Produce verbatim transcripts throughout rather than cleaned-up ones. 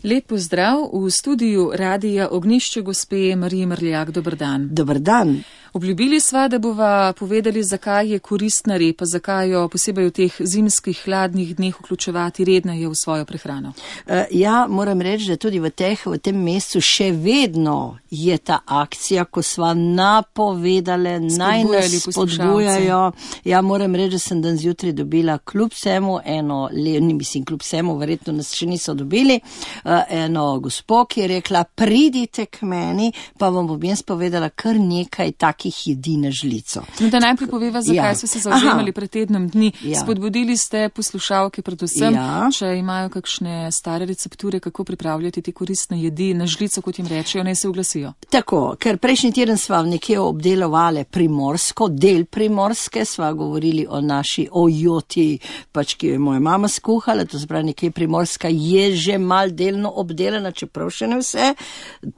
Lep pozdrav v studiu Radia Ognjišče gospe Marije Mrljak. Dober dan. Dober dan. Obljubili sva, da bova povedali, zakaj je koristna repa, zakaj jo posebej v teh zimskih hladnih dneh vključevati redneje v svojo prehrano. Uh, ja, moram reči, da tudi v, teh, v tem mesecu še vedno je ta akcija, ko sva napovedale, naj nas spodbujajo. Ja, moram reči, da sem dan zjutraj dobila kljub vsemu eno, ni mislim kljub vsemu, verjetno nas še niso dobili, uh, eno gospo, ki je rekla, pridite k meni, pa vam bom jaz povedala kar nekaj takih jedi na žlico. No, da najprej poveva, zakaj ja. so se zavzemali pred tednom dni. Ja. Spodbudili ste poslušalke predvsem, ja. če imajo kakšne stare recepture, kako pripravljati te koristne jedi na žlico, kot jim rečejo, naj se oglasijo. Tako, ker prejšnji teden sva nekje obdelovali Primorsko, del Primorske, sva govorili o naši ojoti, pač ki je moja mama skuhala, to se pravi nekje Primorska je že mal delno obdelana, čeprav še ne vse.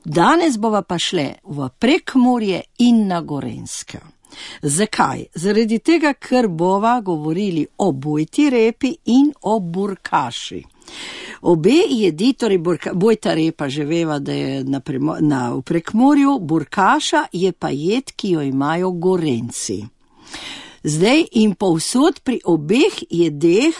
Danes bova pa šle v Prekmurje in na Gorenjske. Zakaj? Zaradi tega, ker bova govorili o bojti repi in o burkaši. Obe jedi, torej burka, bojta repa že veva, da je na, na, v Prekmurju, burkaša je pa jed, ki jo imajo Gorenjci. Zdaj in povsod pri obeh jedeh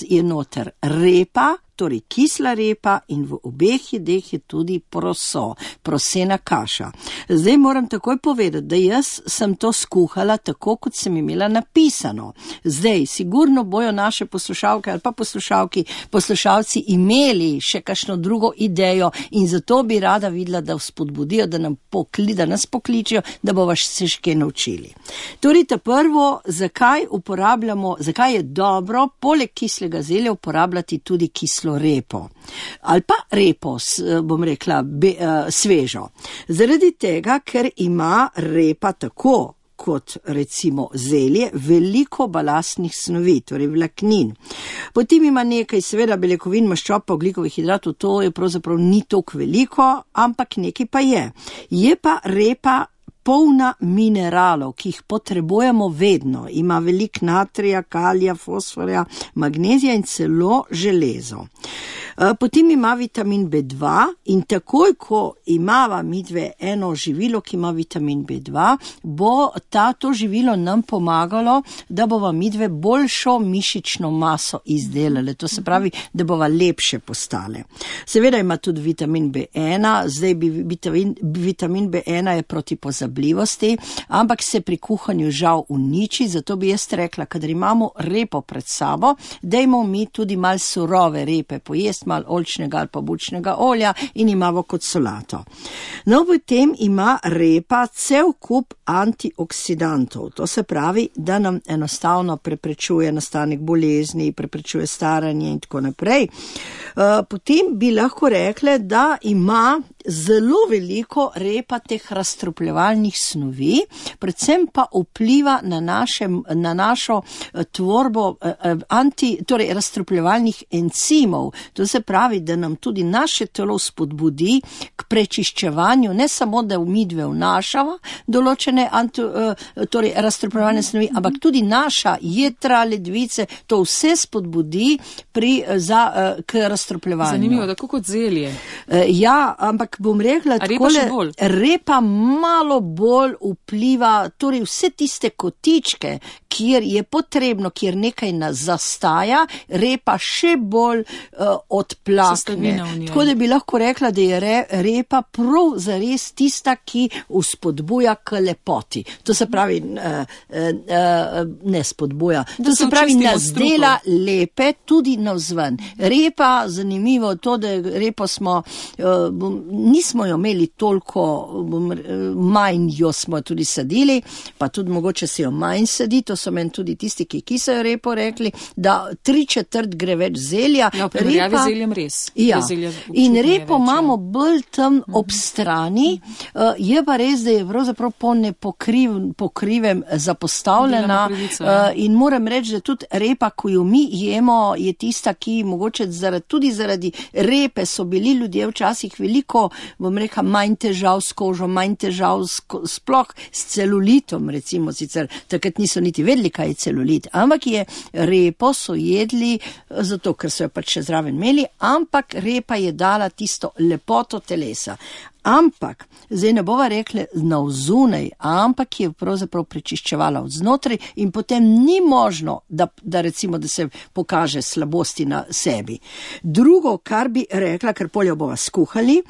je noter repa, torej kisla repa in v obeh jedeh je tudi proso, prosena kaša. Zdaj moram takoj povedati, da jaz sem to skuhala tako, kot sem imela napisano. Zdaj, sigurno bojo naše poslušalke ali pa poslušalki, poslušalci imeli še kakšno drugo idejo in zato bi rada videla, da vzpodbudijo, da, nam pokli, da nas pokličijo, da bomo se še kaj naučili. Torej, ta prvo, zakaj uporabljamo, zakaj je dobro, poleg kislega zelja uporabljati tudi kislo repo. Ali pa repo, bom rekla, be, uh, svežo. Zaradi tega, ker ima repa tako kot recimo zelje, veliko balastnih snovi, torej vlaknin. Potem ima nekaj seveda beljakovin, maščob, pa ogljikovih hidratov, to je pravzaprav ni toliko veliko, ampak nekaj pa je. Je pa repa polna mineralov, ki jih potrebujemo vedno. Ima veliko natrija, kalija, fosforja, magnezija in celo železo. Potem ima vitamin B dva in takoj, ko imava midve eno živilo, ki ima vitamin B dva, bo ta, to živilo nam pomagalo, da bova midve boljšo mišično maso izdelale. To se pravi, da bova lepše postale. Seveda ima tudi vitamin B ena, zdaj bi vitamin, vitamin B ena je proti pozabljivosti, ampak se pri kuhanju žal uniči, zato bi jaz rekla, kadar imamo repo pred sabo, dajmo mi tudi mal surove repe pojesti, mal oljčnega ali pa bučnega olja in imamo kot solato. No, potem ima repa cel kup antioksidantov. To se pravi, da nam enostavno preprečuje nastanek bolezni, preprečuje staranje in tako naprej. Potem bi lahko rekle, da ima zelo veliko repa teh razstrupljevalnih snovi, predvsem pa vpliva na, naše, na našo tvorbo anti, torej razstrupljevalnih encimov. To se pravi, da nam tudi naše telo spodbudi k prečiščevanju, ne samo, da midve vnašava določene anti, torej razstrupljevalne snovi, ampak tudi naša jetra, ledvice, to vse spodbudi pri, za, k razstrupljevanju. Zanimivo, tako kot zelje. Ja, ampak bom rekla, takole, repa malo bolj vpliva, torej vse tiste kotičke, kjer je potrebno, kjer nekaj nas zastaja, repa še bolj uh, odplakne. Tako da bi lahko rekla, da je re, repa prav zares tista, ki vzpodbuja k lepoti. To se pravi, uh, uh, ne spodbuja, to se pravi, nas dela lepe tudi navzven. Repa, zanimivo to, da repo smo, uh, nismo jo imeli toliko, bom, manj jo smo tudi sadili, pa tudi mogoče se jo manj sadi, to so meni tudi tisti, ki kisajo repo rekli, da tri četrt gre več zelja. Ja, v primerjavi z zeljem res. Ja, in repo imamo bolj tam ob strani, uh, je pa res, da je pravzaprav po nepokriv, pokrivem zapostavljena pravica, ja. uh, in moram reči, da tudi repa, ko jo mi jemo, je tista, ki mogoče zaradi, tudi zaradi repe so bili ljudje včasih veliko, bom rekla, manj težav s kožo, manj težav s, sploh s celulitom, recimo sicer, takrat niso niti vedeli, vedeli, kaj je celulit, ampak je repo so jedli, zato ker so jo pač še zraven imeli, ampak repa je dala tisto lepoto telesa. Ampak, zdaj ne bova rekli navzunaj, ampak je pravzaprav prečiščevala od znotraj in potem ni možno, da, da recimo, da se pokaže slabosti na sebi. Drugo, kar bi rekla, ker poljo bova skuhali,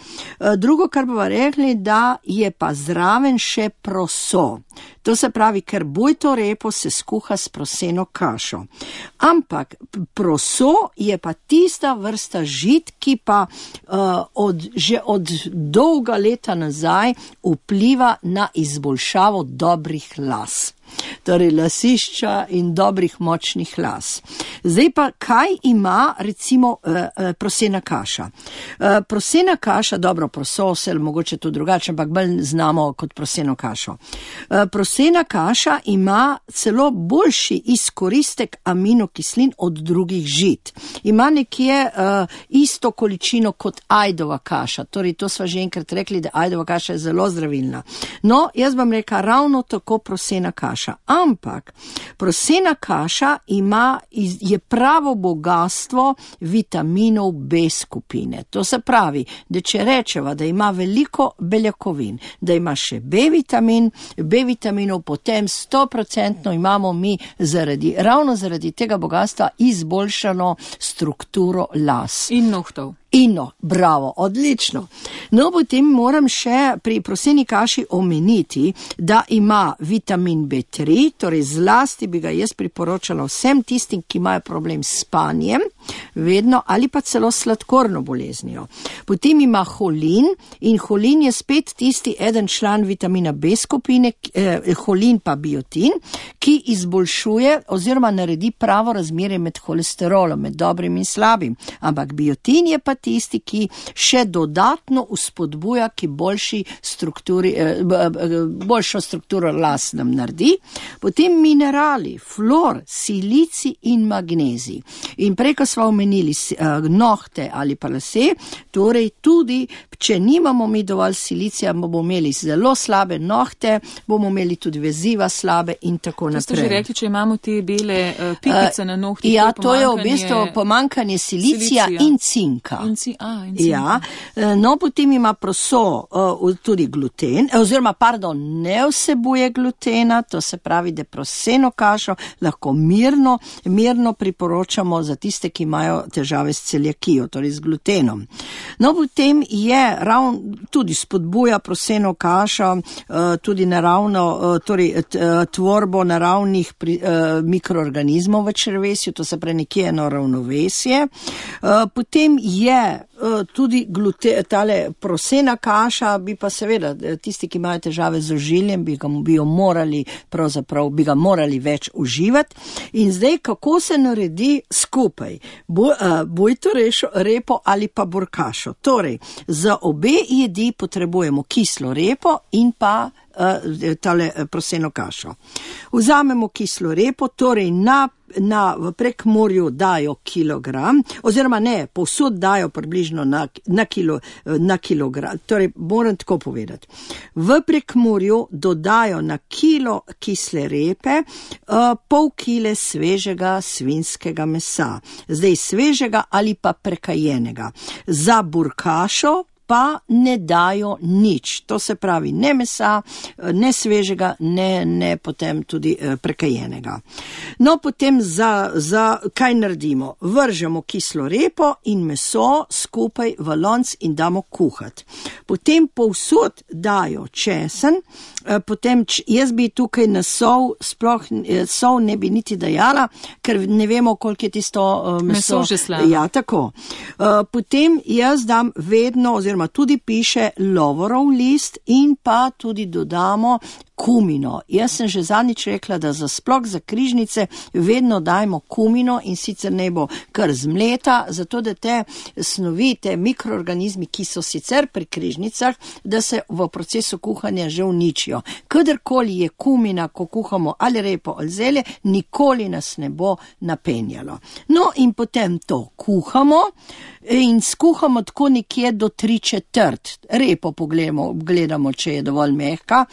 drugo, kar bova rekli, da je pa zraven še proso. To se pravi, ker bujto repo se skuha s proseno kašo. Ampak proso je pa tista vrsta žit, ki pa uh, od, že od dolga leta nazaj vpliva na izboljšavo dobrih las. Torej lasišča in dobrih močnih las. Zdaj pa, kaj ima recimo uh, prosena kaša? Uh, prosena kaša, dobro, prososel, mogoče to drugače, ampak bolj znamo kot proseno kašo. Uh, prosena kaša ima celo boljši izkoristek aminokislin od drugih žit. Ima nekje uh, isto količino kot ajdova kaša. Torej, to sva že enkrat rekli, da ajdova kaša je zelo zdravilna. No, jaz bom rekla ravno tako prosena kaša. Ampak prosena kaša ima, je pravo bogatstvo vitaminov B skupine. To se pravi, da če rečeva, da ima veliko beljakovin, da ima še B vitamin, B vitaminov, potem sto procentno imamo mi zaradi, ravno zaradi tega bogatstva izboljšano strukturo las. In nohtov. Ino, bravo, odlično. No, potem moram še pri proseni kaši omeniti, da ima vitamin B tri, torej zlasti bi ga jaz priporočala vsem tistim, ki imajo problem s spanjem, vedno, ali pa celo sladkorno boleznijo. Potem ima holin in holin je spet tisti eden član vitamina B skupine, eh, holin pa biotin, ki izboljšuje oziroma naredi pravo razmerje med holesterolom, med dobrim in slabim. Ampak biotin je pa tisti, ki še dodatno uspodbuja, ki boljši strukturi, boljšo strukturo las nam naredi. Potem minerali, flor, silici in magnezij. In prej, ko smo omenili nohte ali pa lase, torej tudi, če nimamo mi dovolj silicija, bomo imeli zelo slabe nohte, bomo imeli tudi veziva slabe in tako naprej. To ste že rekli, če imamo te bele uh, pikice uh, na nohtih. Ja, to je v bistvu pomankanje silicija, silicija. in cinka. In ci, a, in cinka. Ja, no, potem ima proso uh, tudi gluten, oziroma, pardon, ne vsebuje glutena, to se pravi, da proseno kašo lahko mirno, mirno priporočamo za tiste, ki imajo težave s celiakijo, torej z glutenom. No, potem je ravno tudi spodbuja proseno kašo, uh, tudi naravno, uh, torej uh, tvorbo naravnih pri, uh, mikroorganizmov v črevesju, to se pravi nekje eno ravnovesje. Uh, potem je tudi glute, tale prosena kaša, bi pa seveda tisti, ki imajo težave z ožiljem, bi ga bi jo morali, pravzaprav bi ga morali več uživati. In zdaj, kako se naredi skupaj? Bo, uh, bojto rešo, repo ali pa burkašo. Torej, za obe jedi potrebujemo kislo repo in pa uh, tale proseno kašo. Vzamemo kislo repo, torej na Na, v Prekmurju dajo kilogram, oziroma ne, povsod dajo približno na, na, kilo, na kilogram, torej moram tako povedati. V Prekmurju dodajo na kilo kisle repe uh, pol kile svežega svinjskega mesa, zdaj svežega ali pa prekajenega. Za burkašo pa ne dajo nič, to se pravi ne mesa, ne svežega, ne, ne potem tudi eh, prekajenega. No, potem za, za kaj naredimo? Vržemo kislo repo in meso skupaj v lonc in damo kuhati. Potem povsod dajo česen, eh, potem č, jaz bi tukaj na sol, sploh eh, sol ne bi niti dajala, ker ne vemo, koliko je tisto eh, meso. Meso že slabo. Ja, tako. Eh, potem jaz dam vedno, oziroma tudi piše lovorov list in pa tudi dodamo kumino. Jaz sem že zadnjič rekla, da za sploh za križnice vedno dajmo kumino in sicer ne bo kar zmleta, zato da te snovi, te mikroorganizmi, ki so sicer pri križnicah, da se v procesu kuhanja že uničijo. Kadarkoli je kumina, ko kuhamo ali repo ali zelje, nikoli nas ne bo napenjalo. No in potem to kuhamo in skuhamo tako nekje do tri četrt. Repo pogledamo, gledamo, če je dovolj mehka.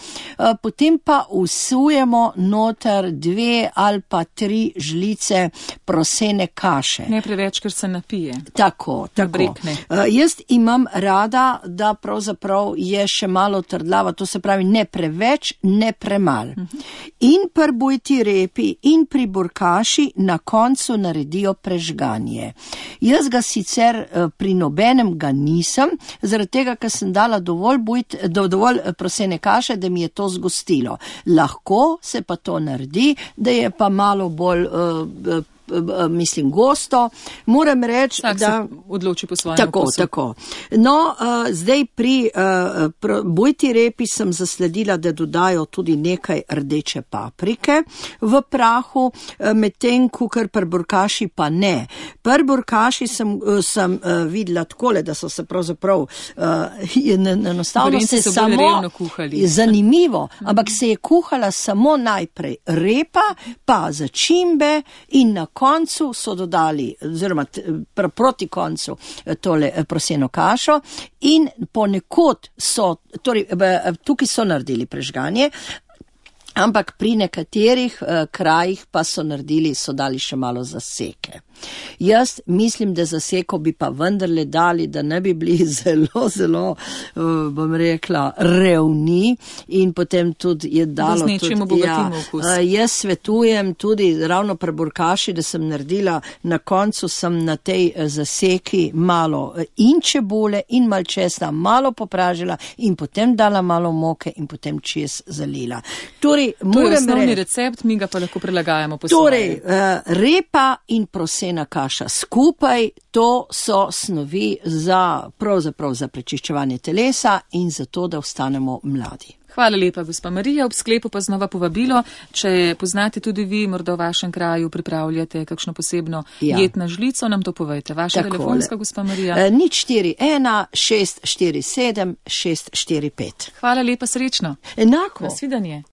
potem pa usujemo noter dve ali pa tri žlice prosene kaše. Ne preveč, ker se napije. Tako, tako. Uh, jaz imam rada, da pravzaprav je še malo trdlava, to se pravi ne preveč, ne premal. Uh -huh. In pri bujti repi in pri burkaši na koncu naredijo prežganje. Jaz ga sicer uh, pri nobenem ga nisem, zaradi tega, ker sem dala dovolj, bujt, do, dovolj prosene kaše, da mi je to zgostilo. Lahko se pa to naredi, da je pa malo bolj uh, mislim gosto. Moram reči, tak da se odloči po svojem tako, okusu. tako. No, uh, zdaj pri uh, pr bujti repi sem zasledila, da dodajo tudi nekaj rdeče paprike v prahu, uh, medtem kukar pri burkaši pa ne. Pri burkaši sem, uh, sem uh, videla takole, da so se pravzaprav uh, enostavno se samo zanimivo, ampak se je kuhala samo najprej repa, pa začimbe in na koncu so dodali, oziroma pr proti koncu tole proseno kašo in ponekod so, torej tukaj so naredili prežganje, ampak pri nekaterih uh, krajih pa so naredili, so dali še malo zaseke. Jaz mislim, da zaseko bi pa vendarle dali, da ne bi bili zelo, zelo, uh, bom rekla, revni in potem tudi je dalo. Tudi, ja, uh, jaz svetujem tudi ravno pri burkaši, da sem naredila, na koncu sem na tej uh, zaseki malo uh, in čebule in malo česna, malo popražila in potem dala malo moke in potem čez zalila. Torej, to je osnovni recept, mi ga pa lahko prilagajamo po torej, svoje. Uh, repa in prosena kaša skupaj, to so snovi za, pravzaprav za prečiščevanje telesa in za to, da ostanemo mladi. Hvala lepa, gospa Marija. Ob sklepu pa znova povabilo, če poznate tudi vi, morda v vašem kraju pripravljate kakšno posebno ja. jed na žlico, nam to povejte. Vaša Takole. Telefonska, gospa Marija? E, nič štiri ena šest štiri sedem šest štiri pet. Hvala lepa, srečno. Enako. Nasvidenje.